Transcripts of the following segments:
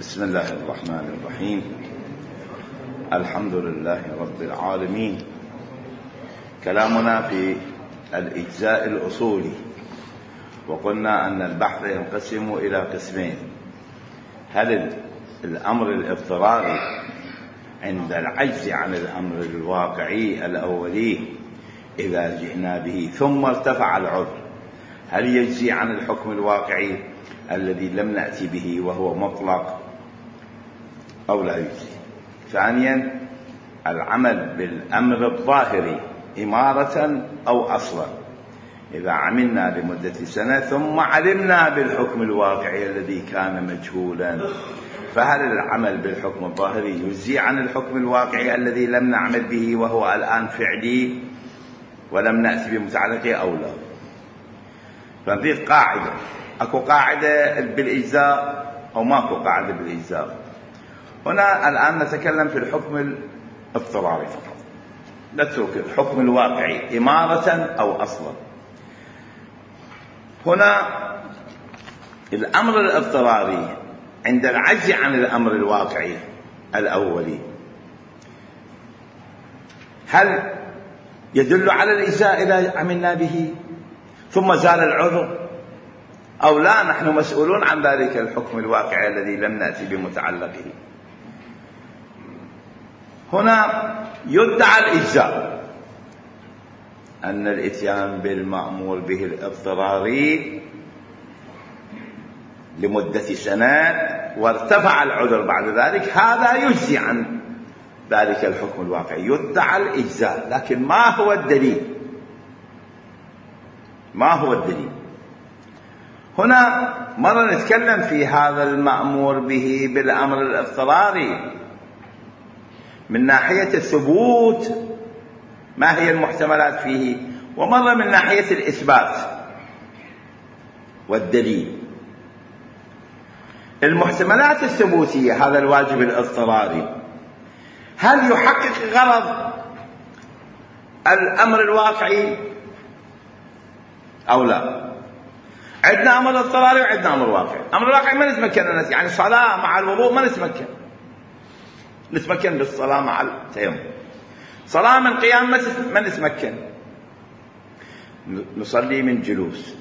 بسم الله الرحمن الرحيم. الحمد لله رب العالمين. كلامنا في الإجزاء الأصولي، وقلنا أن البحث ينقسم إلى قسمين: هل الأمر الاضطراري عند العجز عن الأمر الواقعي الأولي إذا جئنا به ثم ارتفع العذر، هل يجزي عن الحكم الواقعي الذي لم نأتي به وهو مطلق أو لا يجزي؟ ثانيا، العمل بالأمر الظاهري إمارة أو أصلا، إذا عملنا لمدة سنة ثم علمنا بالحكم الواقعي الذي كان مجهولا، فهل العمل بالحكم الظاهري يجزي عن الحكم الواقعي الذي لم نعمل به وهو الآن فعلي ولم نأتي بمتعلقه أو لا؟ فنضيف قاعدة. أكو قاعدة بالإجزاء أو ماكو قاعدة بالإجزاء؟ هنا الآن نتكلم في الحكم الاضطراري فقط، نترك الحكم الواقعي إمارة أو أصلا. هنا الأمر الاضطراري عند العجز عن الأمر الواقعي الأولي، هل يدل على الإجزاء إذا عملنا به ثم زال العذر أو لا؟ نحن مسؤولون عن ذلك الحكم الواقعي الذي لم نأتي بمتعلقه. هنا يدعى الإجزاء، أن الإتيان بالمأمور به الاضطراري لمدة سنة وارتفع العذر بعد ذلك، هذا يجزي عن ذلك الحكم الواقعي، يدعى الإجزاء. لكن ما هو الدليل؟ ما هو الدليل؟ هنا مرة نتكلم في هذا المأمور به بالأمر الاضطراري من ناحية الثبوت، ما هي المحتملات فيه، ومرة من ناحية الإثبات والدليل. المحتملات الثبوتية، هذا الواجب الاضطراري، هل يحقق غرض الأمر الواقعي أو لا؟ عندنا أمر اضطراري وعندنا أمر واقعي. أمر واقعي ما نتمكن، يعني صلاة مع الوضوء ما نتمكن بالصلاة مع التيمم. صلاة من قيام ما نتمكن، نصلي من جلوس.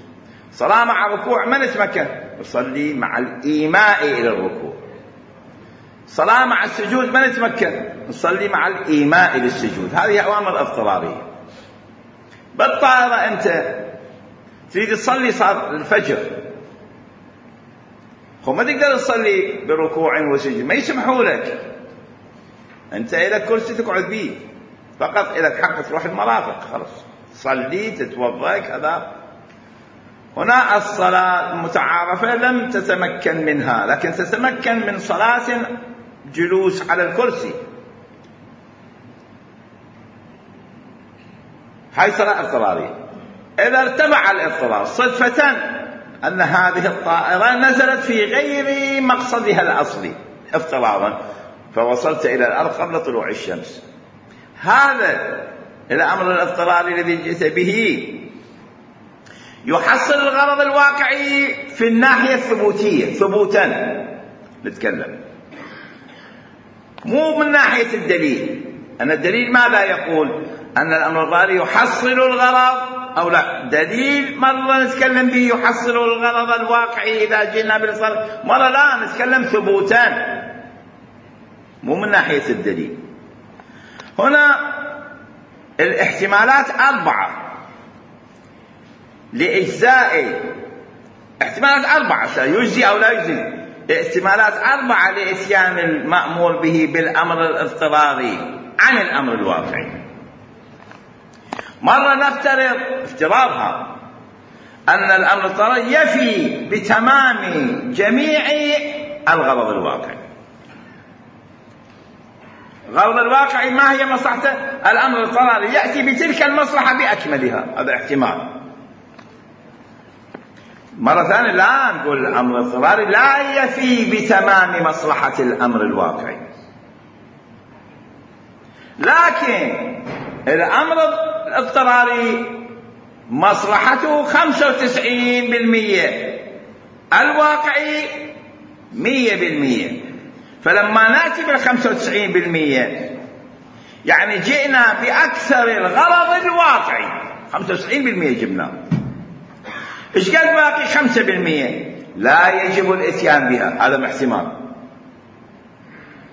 صلاة مع ركوع ما نتمكن، نصلي مع الإيماء إلى الركوع. صلاة مع السجود ما نتمكن، نصلي مع الإيماء إلى السجود. هذه أوامر اضطرارية. بالطائرة أنت تريد تصلي صلاة الفجر، ما تقدر تصلي بركوع وسجود، ما يسمحوا لك. أنت إلك كرسي تقعد به، فقط إلك حق تروح المرافق، خلاص صلي تتوضأ كذا. هنا الصلاة المتعارفة لم تتمكن منها، لكن تتمكن من صلاة جلوس على الكرسي، هاي صلاة اضطرارية. إذا ارتفع الاضطرار صدفة أن هذه الطائرة نزلت في غير مقصدها الأصلي اضطرارا، فوصلت إلى الأرض قبل طلوع الشمس، هذا الأمر الاضطراري الذي جئت به يحصل الغرض الواقعي في الناحية الثبوتية ثبوتا نتكلم، مو من ناحية الدليل. أن الدليل ماذا يقول؟ أن الأمر الاضطراري يحصل الغرض أو لا. دليل مرة نتكلم به يحصل الغرض الواقعي إذا جئنا بالصلاة، مرة لا نتكلم ثبوتا، مو من ناحية الدليل. هنا الاحتمالات 4 لإجزاء، احتمالات 4 يجزي أو لا يجزي. احتمالات 4 لإتيان المأمور به بالأمر الاضطراري عن الأمر الواقعي. مرة نفترض افتراضها أن الأمر الاضطراري يفي بتمام جميع الغرض الواقعي. الغرض الواقعي ما هي مصلحته؟ الأمر الاضطراري يأتي بتلك المصلحة بأكملها، هذا احتمال. مرة ثانية لا نقول الأمر الاضطراري لا يفي بتمام مصلحة الأمر الواقعي، لكن الأمر الاضطراري مصلحته 95%، الواقعي 100%. فلما نأتي بال95% يعني جئنا بأكثر الغرض الواقعي. 95% جبناه. إيش قال باقي 5%؟ لا يجب الإتيان بها. هذا احتمال.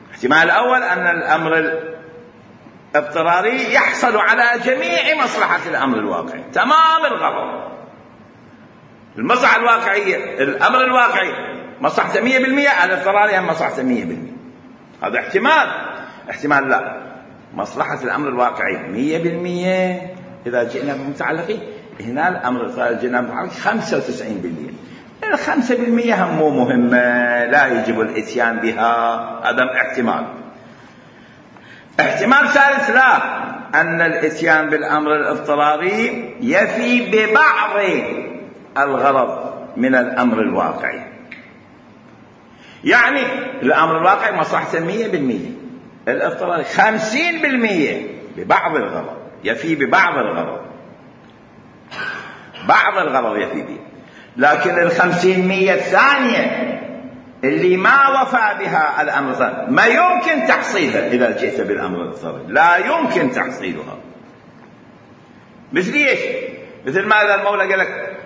الاحتمال الأول أن الأمر الاضطراري يحصل على جميع مصلحة الأمر الواقعي، تمام الغرض. المصلحة الواقعية، الأمر الواقعي مصلحته 100%، الاضطراري هم مصلحته 100%. هذا احتمال لا، مصلحة الأمر الواقعي 100%. إذا جئنا بمتعلقين هنا الأمر الاضطراري جئنا بمتعلقين 95%. 5% هم مو مهمة، لا يجب الإتيان بها. هذا احتمال. احتمال ثالث، لا، أن الإتيان بالأمر الاضطراري يفي ببعض الغرض من الأمر الواقعي. يعني الأمر الواقعي مصلحته 100%، الاضطراري 50% ببعض الغرض، يفي ببعض الغرض، بعض الغرض يفي به. لكن 50% الثانية اللي ما وفى بها الأمر الاضطراري ما يمكن تحصيلها إذا جئت بالأمر الاضطراري، لا يمكن تحصيلها. مثل ايش؟ مثل ماذا المولى قال لك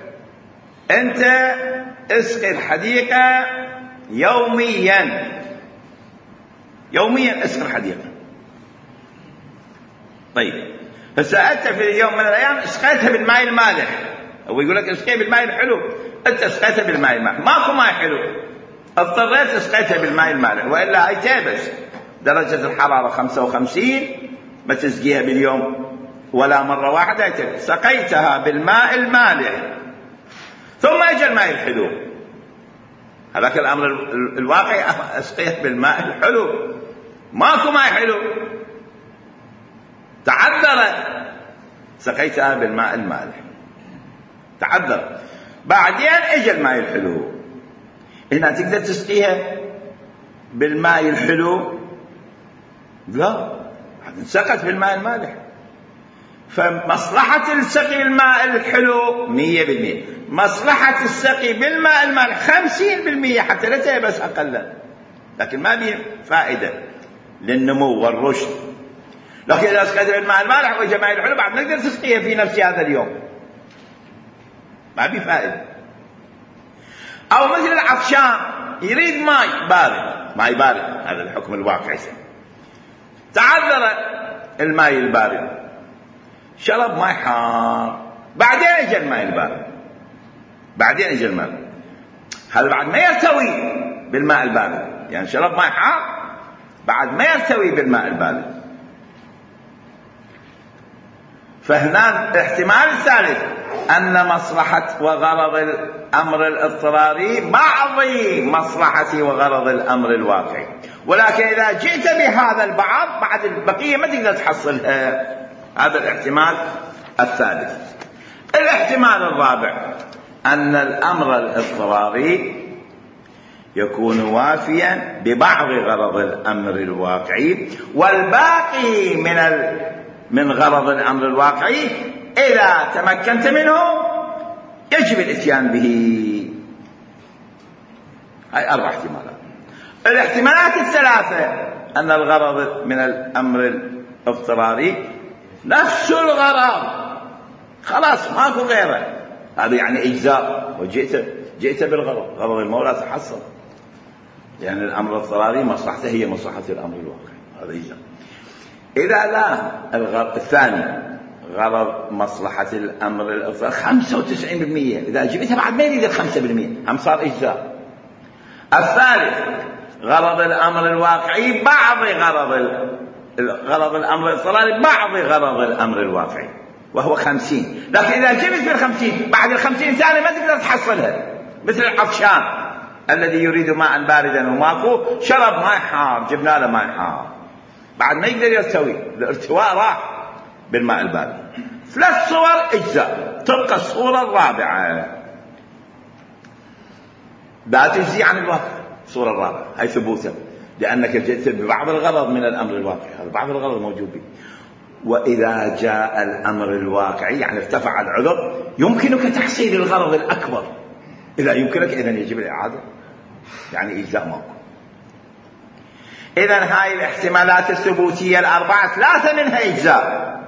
أنت اسقي الحديقة يوميا اسقي الحديقة. طيب فسألت في يوم من الأيام اسقيتها بالماء المالح، هو يقول لك اسقيها بالماء الحلو، أنت اسقيتها بالماء المالح، ماكو ماء حلو، اضطريت اسقيتها بالماء المالح، وإلا هي تابس درجة الحرارة 55، ما تسقيها باليوم ولا مرة واحدة، سقيتها بالماء المالح ثم اجى الماء الحلو. هذاك الأمر الواقعي اسقيت بالماء الحلو، ماكو ماء حلو، تعذرت، سقيتها بالماء المالح، تعذر، بعدين اجى الماء الحلو. هنا تقدر تسقيها بالماء الحلو؟ لا، انسقت بالماء المالح. فمصلحة السقي بالماء الحلو 100%، مصلحة السقي بالماء المالح 50%، حتى لا تيبس أقلا، لكن ما به فائدة للنمو والرشد. لكن إذا سقيت بالماء المالح وجاء ماء الحلو بعد نقدر تسقيها في نفس هذا اليوم، ما به فائدة. أو مثل العطشان يريد ماء بارد، هذا الحكم الواقعي، تعذر الماء البارد، شرب ماء حار، بعدين اجى الماء البارد، هذا بعد ما يرتوي بالماء البارد، يعني شرب ماء حار بعد ما يرتوي بالماء البارد. فهنا الاحتمال الثالث أن مصلحة وغرض الأمر الاضطراري بعض مصلحة وغرض الأمر الواقعي، ولكن إذا جئت بهذا البعض بعد البقية ما تقدر تحصلها. هذا الاحتمال الثالث. الاحتمال الرابع أن الأمر الاضطراري يكون وافيا ببعض غرض الأمر الواقعي، والباقي من غرض الأمر الواقعي إذا تمكنت منه يجب الإتيان به. هاي 4 احتمالات. الاحتمالات الثلاثة أن الغرض من الأمر الاضطراري نفس الغرض، خلاص ماكو غيره، هذا يعني إجزاء، وجئت بالغرض، غرض المولى تحصل، يعني الأمر الاضطراري مصلحته هي مصلحة الأمر الواقعي، هذا إجزاء. إذا لا الغرض الثاني غرض مصلحة الأمر الاضطراري 95%، إذا جبتها بعد ما يريد 5% هم صار إجزاء. الثالث غرض الأمر الواقعي بعض غرض الأمر الاضطراري بعض غرض الأمر الواقعي، وهو 50. لكن إذا جبت بال50 بعد 50 ثانية ما تقدر تحصلها، مثل العطشان الذي يريد ماء باردا وماكو، شرب ماء حار، جبنا له ماء حار، بعد ما يقدر يرتوي، الارتواء راح بالماء البارد. 3 صور اجزاء، تبقى الصورة الرابعة لا تجزي عن الواقع. الصورة الرابعة هي ثبوتا، لأنك جئت ببعض الغرض من الأمر الواقعي، هذا بعض الغرض موجود به. وإذا جاء الأمر الواقعي يعني ارتفع العذر، يمكنك تحصيل الغرض الأكبر. إذا يمكنك إذن يجب الإعادة، يعني إجزاء ماكو. إذن هاي الاحتمالات الثبوتية الأربعة 3 منها إجزاء،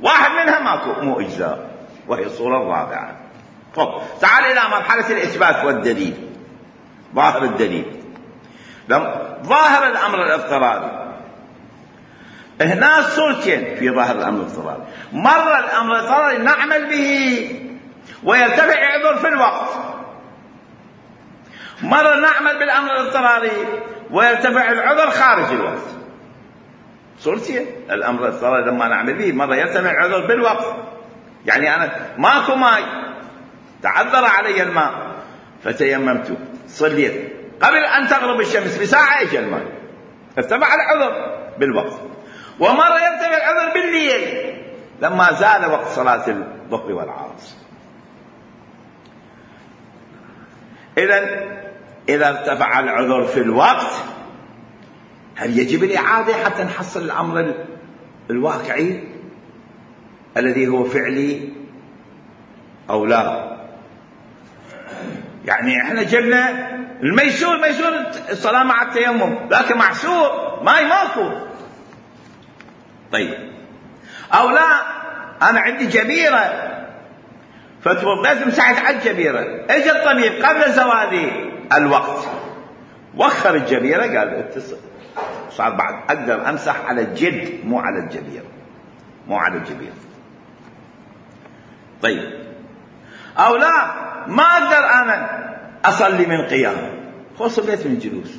1 منها مو إجزاء، وهي الصورة الرابعة. طب تعال إلى مرحلة الإثبات والدليل. ظاهر الدليل، ظاهر الأمر الافتراضي. هنا صورتين في ظاهر الأمر الافتراضي. مرة الأمر الافتراضي نعمل به ويرتفع عذر في الوقت، مرة نعمل بالأمر الافتراضي ويرتفع العذر خارج الوقت. صورتين. الأمر الافتراضي لما نعمل به مرة يرتفع العذر بالوقت، يعني أنا ماكو ماء، تعذر علي الماء فتيممت، صليت، قبل أن تغرب الشمس بساعة اجى الماء، ارتفع العذر بالوقت. ومرة يرتفع العذر بالليل لما زال وقت صلاة الظهر والعصر. إذا ارتفع العذر في الوقت هل يجب الإعادة حتى نحصل الأمر الواقعي الذي هو فعلي أو لا؟ يعني احنا جبنا الميسور، ميسور الصلاة مع التيمم، لكن معسور ماي ماكو. طيب أو لا، أنا عندي جبيرة فتوضيت مسحت على الجبيرة، اجى الطبيب قبل زوال الوقت وخر الجبيرة، قال اتصل، صار بعد أقدر أمسح على الجلد مو على الجبيرة، مو على الجبيرة. طيب أو لا، ما أقدر أنا أصلي من قيام، صليت من جلوس،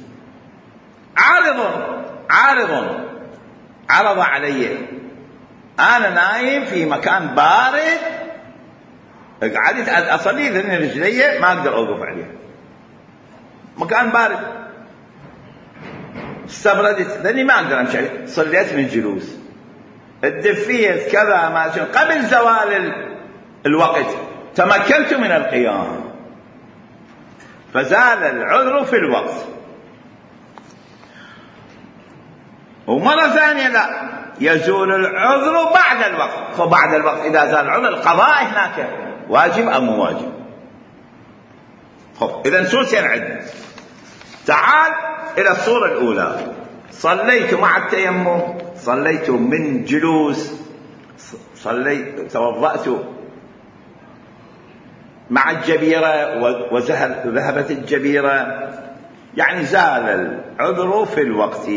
عرض علي، أنا نايم في مكان بارد، قعدت أصلي لأن رجلي ما أقدر أوقف عليها، مكان بارد، استبردت لأني ما أقدر أمشي عليه، صليت من جلوس، الدفيت كذا ما قبل زوال الوقت تمكنت من القيام، فزال العذر في الوقت. ومرة ثانية لا، يزول العذر بعد الوقت، فبعد الوقت إذا زال العذر القضاء هناك واجب أو مو واجب. إذن صورتين عندنا. تعال إلى الصورة الأولى، صليت مع التيمم، صليت من جلوس، صليت توضأت مع الجبيرة وذهبت الجبيرة، يعني زال العذر في الوقت.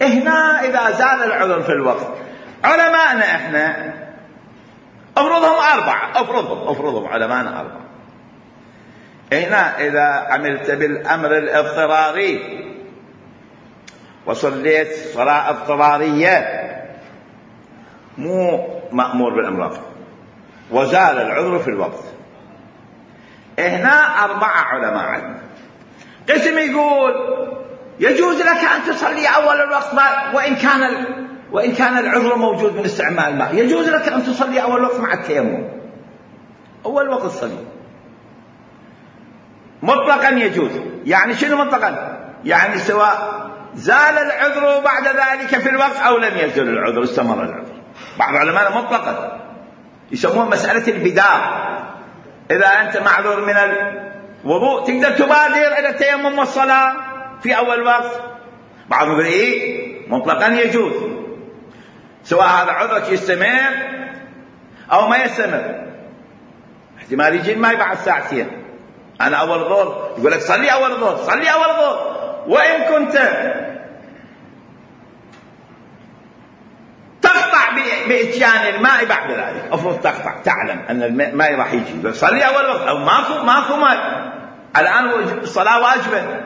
هنا إذا زال العذر في الوقت علماءنا احنا افرضهم 4، افرضهم علماءنا 4. هنا إذا عملت بالأمر الاضطراري وصليت صلاة اضطرارية مو مأمور بالأمر وزال العذر في الوقت، هنا 4 علماء عندنا. قسم يقول يجوز لك أن تصلي أول الوقت وإن كان العذر موجود من استعمال الماء، يجوز لك أن تصلي أول الوقت مع التيمم، أول وقت صلي مطلقا يجوز. يعني شنو مطلقا؟ يعني سواء زال العذر بعد ذلك في الوقت أو لم يزل العذر، استمر العذر. بعض العلماء مطلقا يسمون مسألة البدار، إذا أنت معذور من الوضوء تقدر تبادر إلى التيمم والصلاة في أول وقت. بعضهم يقول إيه مطلقا يجوز، سواء هذا عذرك يستمر أو ما يستمر، احتمال يجي الماء بعد ساعتين. أنا أول ظهر يقول لك صلي أول ظهر، صلي أول ظهر، وإن كنت تقطع بإتيان الماء بعد ذلك، أفرض تقطع تعلم أن الماء راح يجي، صلي أول وقت، أو ماكو ماء الآن الصلاة واجبة،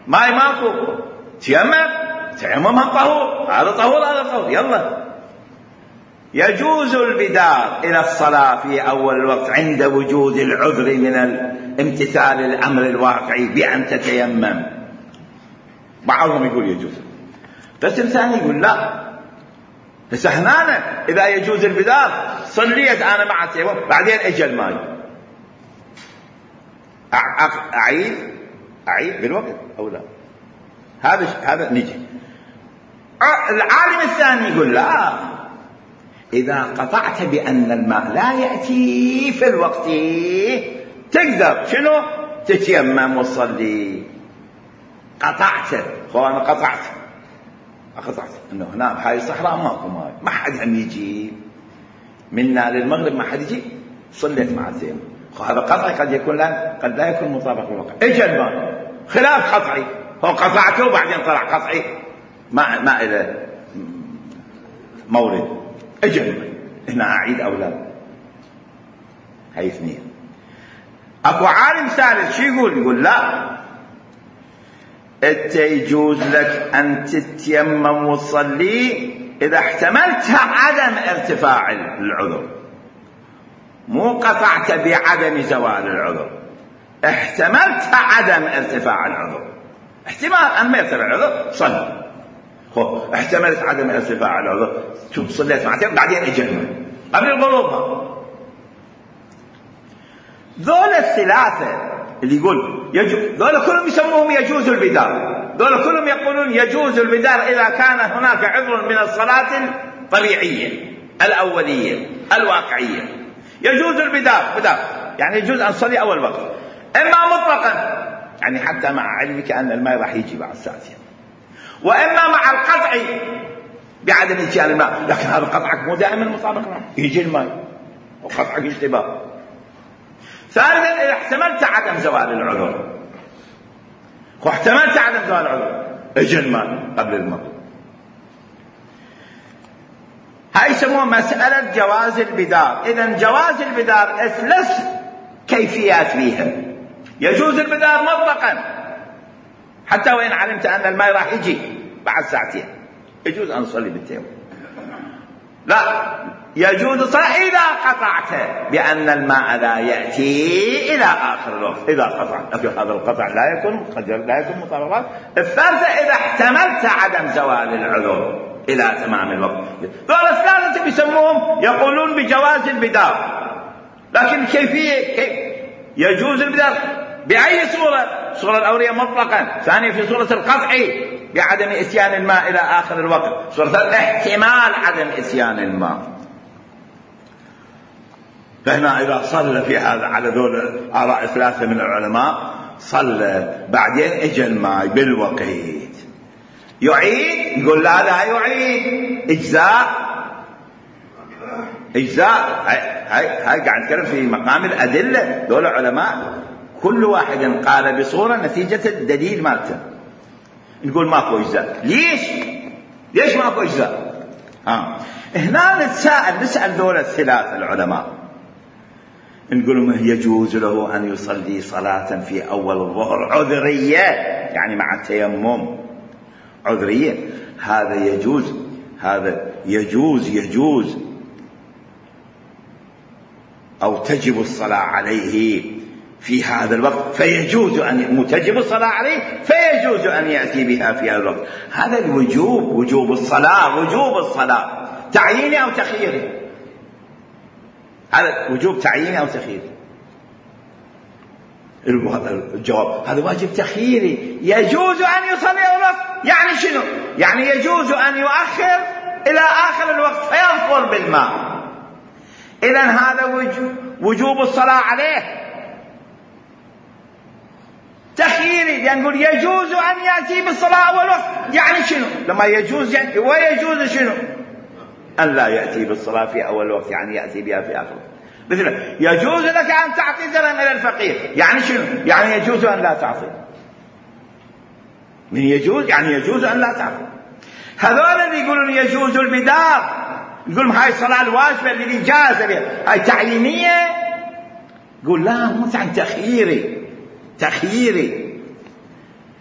ماء ماكو، تيمم طهور، هذا طهور، يلا. يجوز البدار إلى الصلاة في أول الوقت عند وجود العذر من امتثال الأمر الواقعي بأن تتيمم. بعضهم يقول يجوز، قسم ثاني يقول لا، بس هنا إذا يجوز البدار صليت أنا مع التيمم بعدين أجى الماء، أعيد بالوقت أو لا؟ هذا نجي. العالم الثاني يقول لا، إذا قطعت بأن الماء لا يأتي في الوقت تقدر شنو؟ تتيمم وتصلي. قطعته، أنا قطعت إنه هنا بهاي الصحراء ماكو ماي، ما حد هم يجي منا للمغرب، ما حد يجي، صليت مع التيمم. هذا قطعي قد لا يكون مطابق للواقع. اجى الماء خلاف قطعي، هو قطعته وبعدين طلع قطعي، ما إلى مورد. اجى الماء، هنا أعيد أو لا؟ هاي اثنين. أكو عالم ثالث شو يقول لا، انت يجوز لك أن تتيمم وتصلي إذا احتملت عدم ارتفاع العذر، مو قطعت بعدم زوال العذر، احتملت عدم ارتفاع العذر. احتمال أن ما يرتفع العذر صل، احتملت عدم ارتفاع العذر، شوف صليت معتين بعدين اجل قبل الغروب. ذول الثلاثة اللي يقول ذول كلهم يسموهم يجوز البدار، ذول كلهم يقولون يجوز البدار إذا كان هناك عذر من الصلاة الطبيعية الأولية الواقعية. يجوز البدار يعني يجوز أن تصلي أول وقت، إما مطلقا يعني حتى مع علمك أن الماء راح يجي بعد ساعتين، وإما مع القطع بعدم إتيان الماء، لكن هذا قطعك مو دائما مطابق معه، يجي الماء وقطعك اشتباه. ثالثا إذا احتملت عدم زوال العذر، واحتملت عدم زوال العذر اجى الماء قبل المغرب. هاي يسموها مسألة جواز البدار. إذن جواز البدار ثلاث كيفيات فيها. يجوز البدار مطلقا حتى وإن علمت أن الماء راح يجي بعد ساعتين، يجوز أن نصلي بالتيمم. لا، يجوز الصلاة إذا قطعت بأن الماء لا يأتي إلى آخر الوقت. إذا قطعت هذا القطع لا يكون مطابقات. الثالثة إذا احتملت عدم زوال العذر إلى تمام الوقت. دول الثالثة بيسموهم يقولون بجواز البدار، لكن كيفية يجوز البدار بأي صورة؟ صورة الأولية مطلقا، ثانية في صورة القطع بعدم إتيان الماء إلى آخر الوقت، صورة احتمال عدم إتيان الماء. فهنا إذا صلى في هذا على ذول آراء ثلاثة من العلماء، صلى بعدين اجى الماء بالوقت، يعيد؟ يقول لا يعيد، إجزاء. هاي قاعد نتكلم في مقام الأدلة. دول علماء كل واحد قال بصورة نتيجة الدليل مالته. نقول ماكو إجزاء. ليش ماكو إجزاء؟ هنا نسأل دول الثلاثة العلماء، نقول لهم يجوز له أن يصلي صلاة في أول الظهر عذرية، يعني مع التيمم عذرية، هذا يجوز أو تجب الصلاة عليه في هذا الوقت، فيجوز أن تجب الصلاة عليه فيجوز أن يأتي بها في هذا الوقت. هذا وجوب الصلاة تعييني أو تخييري؟ هذا وجوب تعييني أو تخييري؟ الجواب هذا واجب تخييري. يجوز أن يصلي أول وقت، يعني شنو؟ يعني يجوز أن يؤخر إلى آخر الوقت فيظفر بالماء. إذن هذا وجوب الصلاة عليه تخييري، يعني نقول يجوز أن يأتي بالصلاة أول وقت، يعني شنو؟ لما يجوز يعني ويجوز شنو؟ أن لا يأتي بالصلاة في أول وقت، يعني يأتي بها في آخر وقت. مثلا يجوز لك أن تعطي درهم إلى الفقير، يعني شنو؟ يعني يجوز أن لا تعطي. من يجوز يعني يجوز أن لا تعطي. هذول اللي يقولون يجوز البدار، يقولون هاي الصلاة الواجبة اللي جاز بها هاي تعيينية. يقول لا، مو تخييري،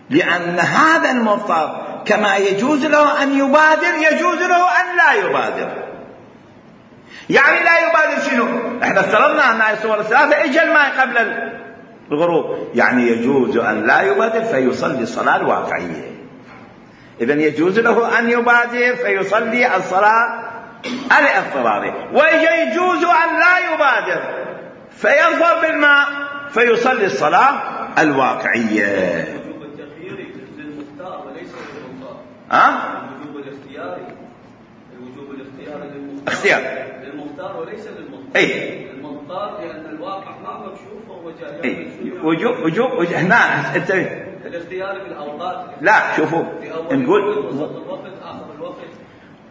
لأن هذا المضطر كما يجوز له أن يبادر يجوز له أن لا يبادر. يعني لا يبادر شنو؟ احنا افترضنا أن الصور الثلاثة اجى الماء قبل الغروب، يعني يجوز أن لا يبادر فيصلي الصلاة الواقعية. إذن يجوز له أن يبادر فيصلي الصلاة الاضطرارية، ويجوز أن لا يبادر فيظفر بالماء فيصلي الصلاة الواقعية. الوجوب التخييري للمختار وليس للمختار. الوجوب الاختياري للمختار وليس للمختار. المختار لأن الواقع ما مكشوف وهو جاهل. وجوب هنا الاختيار بالأوقات. لا شوفوا نقول الوقت آخر الوقت.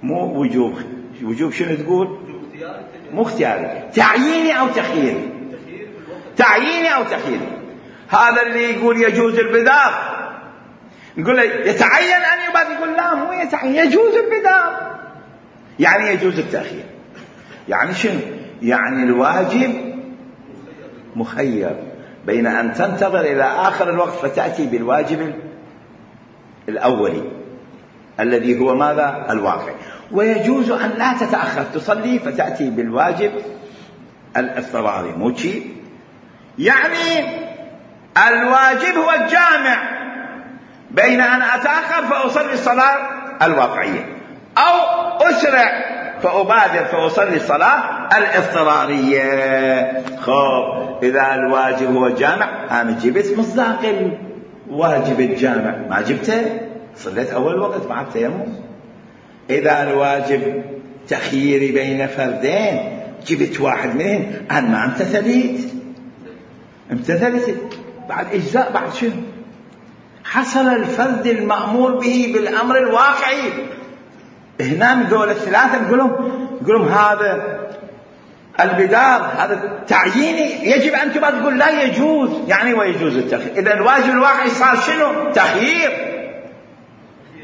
مو وجوب شنو تقول؟ مو اختياري، تعييني أو تخييري. تعييني أو تخييري. هذا اللي يقول يجوز البدار نقول له يتعين أن يبادر، يقول لا مو يتعين، يجوز البدار يعني يجوز التأخير. يعني شنو؟ يعني الواجب مخير بين أن تنتظر إلى آخر الوقت فتأتي بالواجب الأولي الذي هو ماذا؟ الواقع. ويجوز أن لا تتأخر تصلي فتأتي بالواجب الاضطراري. مو شيء يعني الواجب هو الجامع بين أن أتأخر فأصلي الصلاة الواقعية أو أسرع فأبادر فأصلي الصلاة الاضطرارية. خب إذا الواجب هو الجامع أنا جبت مصداق الواجب الجامع، ما جبته صليت أول وقت مع التيمم. إذا الواجب تخييري بين فردين جبت واحد منهم أنا ما امتثلت بعد إجزاء. بعد شنو؟ حصل الفرد المأمور به بالأمر الواقعي. هنا من دول الثلاثة نقولهم هذا البدار هذا تعييني يجب أن تقول لا يجوز، يعني ويجوز التخيير. إذا الواجب الواقعي صار شنو؟ تخيير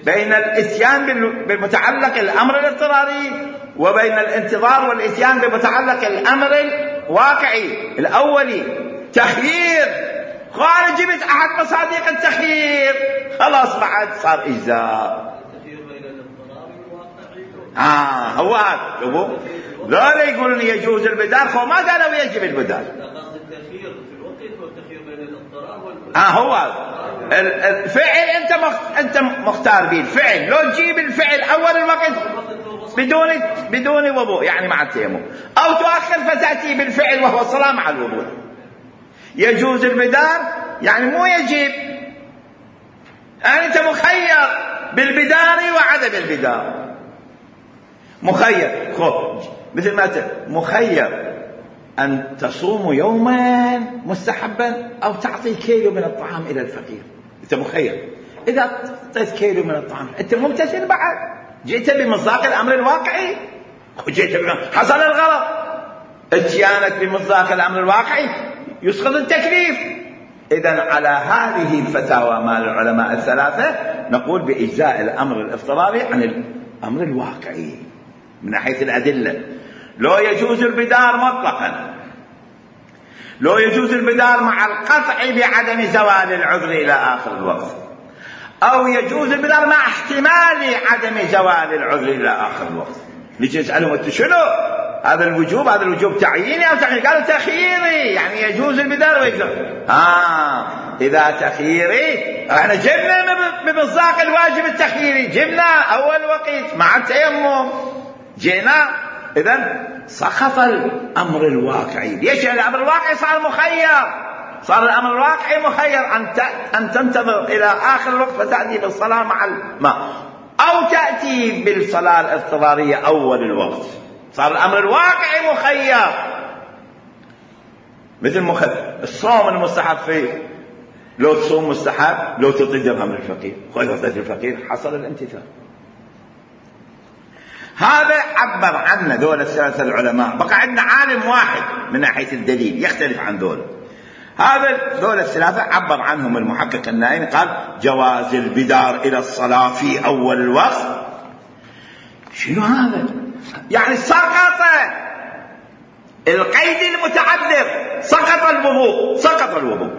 بين الاتيان بمتعلق الأمر الاضطراري وبين الانتظار والاتيان بمتعلق الأمر الواقعي الأولي. تخيير قال جبت أحد مصادق التخيير خلاص بعد صار إجزاء. هو هذا. شوفوا لا يقولون يجوز البدار، هو ما قالوا يجب البدار. التخيير في الوقت والتخيير بين الاضطرار هو الفعل انت مختار به الفعل. لو تجيب الفعل اول الوقت بدون وضوء يعني مع التيمم، او تؤخر فتاتي بالفعل وهو الصلاه مع الوضوء. يجوز البدار يعني مو يجب، يعني انت مخير بالبدار وعدم البدار. مخير مثل ما مخير أن تصوم يوما مستحبا أو تعطي كيلو من الطعام إلى الفقير. أنت مخير. إذا أعطيت كيلو من الطعام أنت ممتثل بعد، جئت بمصداق الأمر الواقعي، حصل الغلط. اتيانك بمصداق الأمر الواقعي يسقط التكليف. إذن على هذه الفتاوى مال العلماء الثلاثة نقول بإجزاء الأمر الاضطراري عن الأمر الواقعي من ناحية الأدلة. لو يجوز البدار مطلقا، لو يجوز البدار مع القطع بعدم زوال العذر إلى آخر الوقت، أو يجوز البدار مع احتمال عدم زوال العذر إلى آخر الوقت. نجي نسألهم أنت شنو هذا الوجوب؟ هذا الوجوب تعييني أو تخييري؟ قالوا تخييري، يعني يجوز البدار ويجوز. إذا تخييري احنا جبنا بمصداق الواجب التخييري، جبنا أول وقت مع التيمم جينا. إذن سقط الأمر الواقعي. ليش؟ الأمر الواقعي صار مخير، صار الأمر الواقعي مخير أن تنتظر إلى آخر الوقت فتأتي بالصلاة مع الماء، أو تأتي بالصلاة الاضطرارية أول الوقت. صار الأمر الواقعي مخير. مثل الصوم المستحب فيه، لو تصوم مستحب، لو تعطي درهم للفقير، وإذا تعطي الفقير حصل الامتثال. هذا عبر عنه دول الثلاثة العلماء. بقى عندنا عالم واحد من ناحية الدليل يختلف عن دول. هذا دول الثلاثة عبر عنهم المحقق النائي، قال جواز البدار إلى الصلاة في أول الوقت. شنو هذا؟ يعني سقط القيد المتعذر، سقط الوضوء، سقط الوضوء.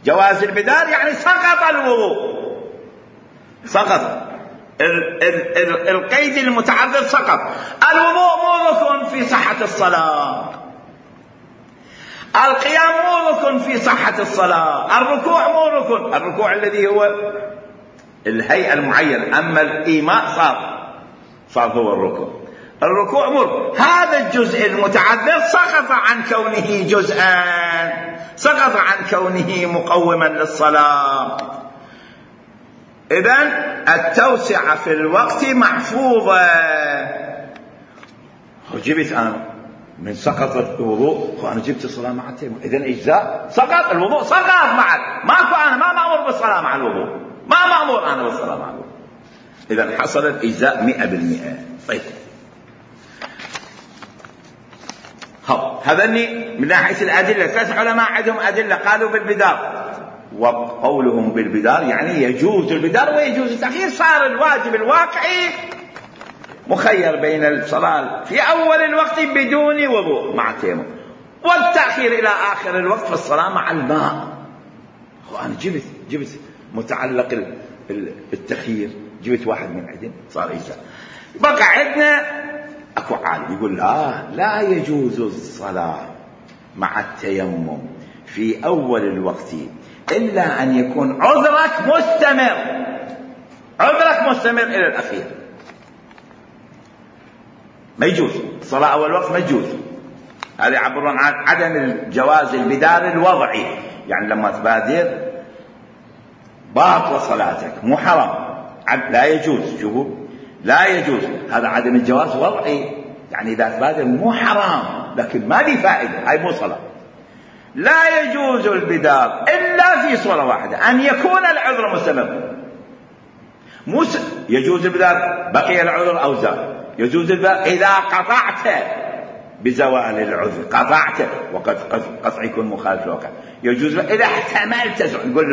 جواز البدار يعني سقط الوضوء، سقط القيد المتعذر، سقط. الوضوء مو ركن في صحة الصلاة، القيام مو ركن في صحة الصلاة، الركوع مو ركن، الركوع الذي هو الهيئة المعينة، أما الإيماء صار هو الركن. الركوع مو. هذا الجزء المتعذر سقط عن كونه جزءا، سقط عن كونه مقوما للصلاة. إذن التوسعة في الوقت محفوظة. جبت أنا من سقط الوضوء وأنا جبت الصلاة مع التيمم، إذن إجزاء. سقط الوضوء، سقط معك، ماكو، أنا ما مأمور بالصلاة مع الوضوء، ما مأمور أنا بالصلاة مع الوضوء. إذا حصل الإجزاء 100%. طيب هذني من ناحية الأدلة. 3 علماء عندهم أدلة قالوا بالبدار، وقولهم بالبدار يعني يجوز البدار ويجوز التأخير. صار الواجب الواقعي مخير بين الصلاة في أول الوقت بدون وضوء مع التيمم، والتأخير إلى آخر الوقت في الصلاة مع الماء. أنا جبت متعلق التخيير، جبت واحد من عندهم صار إجزاء. بقى عندنا أكو عالم يقول لا يجوز الصلاة مع التيمم في أول الوقت إلا أن يكون عذرك مستمر إلى الأخير. ما يجوز الصلاة أول وقت، ما يجوز. هذا يعبرون عن عدم الجواز البدار الوضعي، يعني لما تبادر باطل صلاتك، مو حرام، لا يجوز. شوفوا، لا يجوز، هذا عدم الجواز وضعي، يعني إذا تبادر مو حرام لكن ما لي فائدة، هاي مو صلاة. لا يجوز البدار إلا في صورة واحدة، أن يكون العذر مستمر. يجوز البدار بقي العذر أو زال. يجوز البدار إذا قطعت بزوال العذر، قطعت، وقد قطع يكون مخالف الواقع. يجوز إذا احتملت، نقول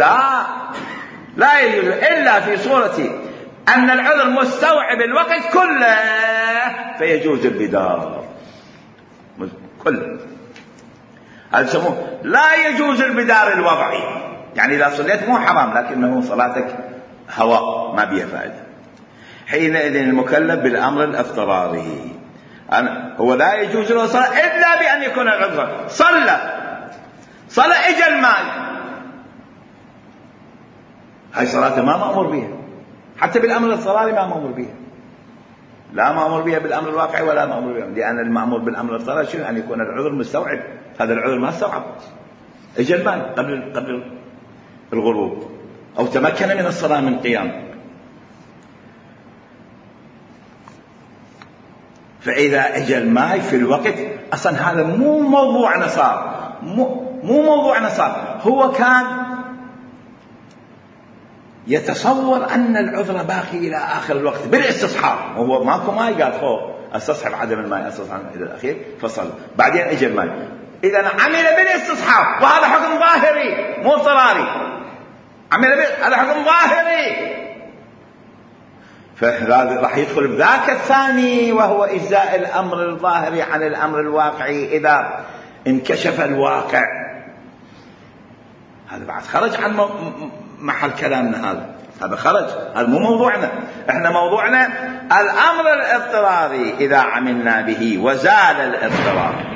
لا يجوز إلا في صورة أن العذر مستوعب الوقت كله، فيجوز البدار كله. هذا يسموه لا يجوز البدار الوضعي، يعني إذا صليت مو حرام لكنه صلاتك هواء ما بيها فائدة. حينئذ المكلف بالأمر الاضطراري هو لا يجوز له صلاة إلا بأن يكون العذر. صلى إجا الماء، هاي صلاة ما مأمور بها، حتى بالأمر الاضطراري ما مأمور بها، لا مأمور بها بالأمر الواقعي ولا مأمور بها، لأن المأمور بالأمر الاضطراري شنو؟ أن يكون العذر مستوعب. هذا العذر ما استوعب، إجا الماء قبل الغروب، أو تمكن من الصلاة من قيام. فإذا أجى الماء في الوقت، أصلا هذا مو موضوعنا، صار مو موضوعنا، صار هو كان يتصور أن العذر باقي إلى آخر الوقت بالاستصحاب، وهو ماكو ماء، قال فوق استصحب عدم الماء، استصحب إلى الأخير فصل. بعدين أجى الماء، إذا عمل بالاستصحاب، وهذا حكم ظاهري مو اضطراري، هذا حكم ظاهري، فهذا راح يدخل بذاك الثاني، وهو إجزاء الأمر الظاهري عن الأمر الواقعي إذا انكشف الواقع. هذا بعد خرج عن محل كلامنا، هذا خرج، هذا مو موضوعنا. احنا موضوعنا الأمر الاضطراري إذا عملنا به وزال الاضطرار.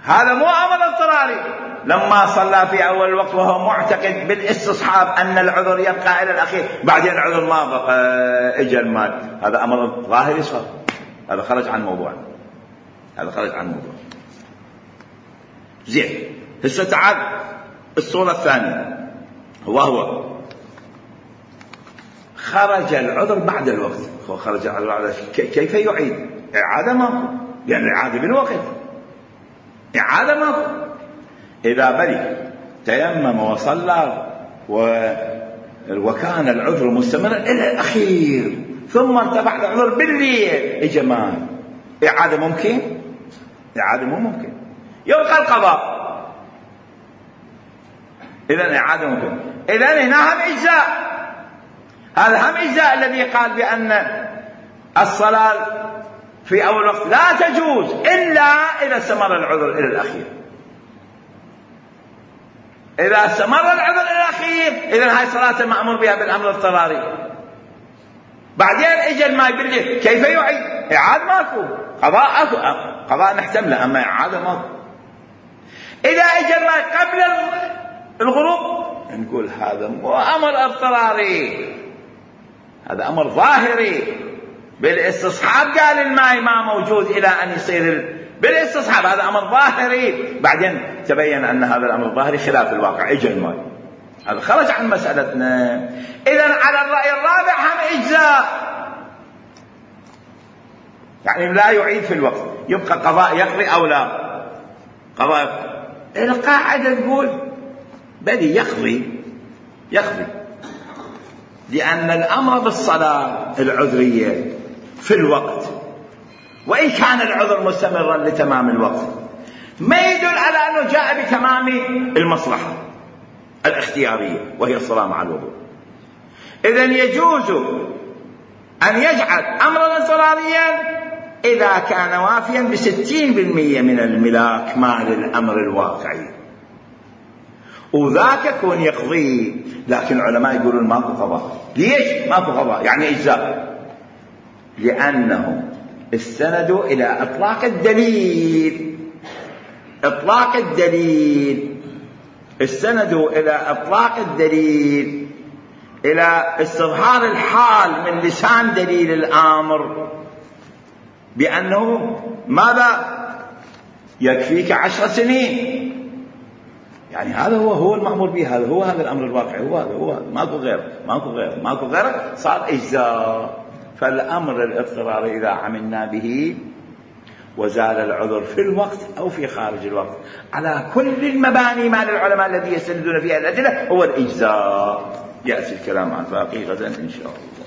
هذا مو أمر اضطراري لما صلى في أول الوقت وهو معتقد بالاستصحاب أن العذر يبقى إلى الأخير، بعدين العذر ما بقى، إجا الماء، هذا أمر ظاهري صار، هذا خرج عن موضوعنا، هذا خرج عن موضوع. زين، هسه تعال الصورة الثانية، وهو خرج العذر بعد الوقت. خرج العذر بعد كيف يعيد؟ إعادة ماكو، يعني إعادة بالوقت، إعادة ماكو. إذا بلي تيمم وصلى وكان العذر مستمرا إلى الأخير، ثم ارتفع العذر بالليل، إجا ماء، إعادة ممكن؟ إعادة مو ممكن، يبقى القضاء. إذن إعادة ممكن. إذن هنا هم إجزاء، هذا هم إجزاء الذي قال بأن الصلاة في أول وقت لا تجوز إلا إذا استمر العذر إلى الأخير. إذا استمر العذر إلى الأخير، إذن هاي صلاة مأمور بها بالأمر الاضطراري. بعدين إجا الماء بالليل، كيف يعيد؟ إعادة ماكو، قضاء نحتمله، أما إعادة ماكو. إذا إجا الماء قبل الغروب، نقول هذا مو أمر اضطراري، هذا أمر ظاهري بالاستصحاب. قال الماء ما موجود إلى أن يصير بالاستصحاب، هذا أمر ظاهري. بعدين تبين أن هذا الأمر الظاهري خلاف الواقع، إجا الماء، هذا خرج عن مسألتنا. إذن على الرأي الرابع هم إجزاء، يعني لا يعيد في الوقت، يبقى قضاء يقضي أو لا قضاء. القاعدة تقول بل يقضي يقضي، لأن الأمر بالصلاة العذرية في الوقت، وإن كان العذر مستمرا لتمام الوقت، ما يدل على أنه جاء بتمام المصلحة الاختيارية وهي الصلاة مع الوضوء. إذن يجوز أن يجعل أمرا اضطراريا إذا كان وافيا ب60% من الملاك مال الأمر الواقعي، وذاك يكون يقضي. لكن العلماء يقولون ماكو قضاء. ليش ماكو قضاء؟ يعني إجزاء، لأنهم استندوا إلى إطلاق الدليل. إطلاق الدليل، استندوا إلى إطلاق الدليل، إلى استظهار الحال من لسان دليل الأمر بأنه ماذا؟ يكفيك 10 سنين. يعني هذا هو المأمور به، هذا الأمر الواقعي، هو ماكو غير صار إجزاء. فالأمر الاضطراري إذا عملنا به وزال العذر في الوقت أو في خارج الوقت على كل المباني مال العلماء الذي يستندون فيها الأدلة هو الإجزاء. يأتي الكلام عن باقي غدا إن شاء الله.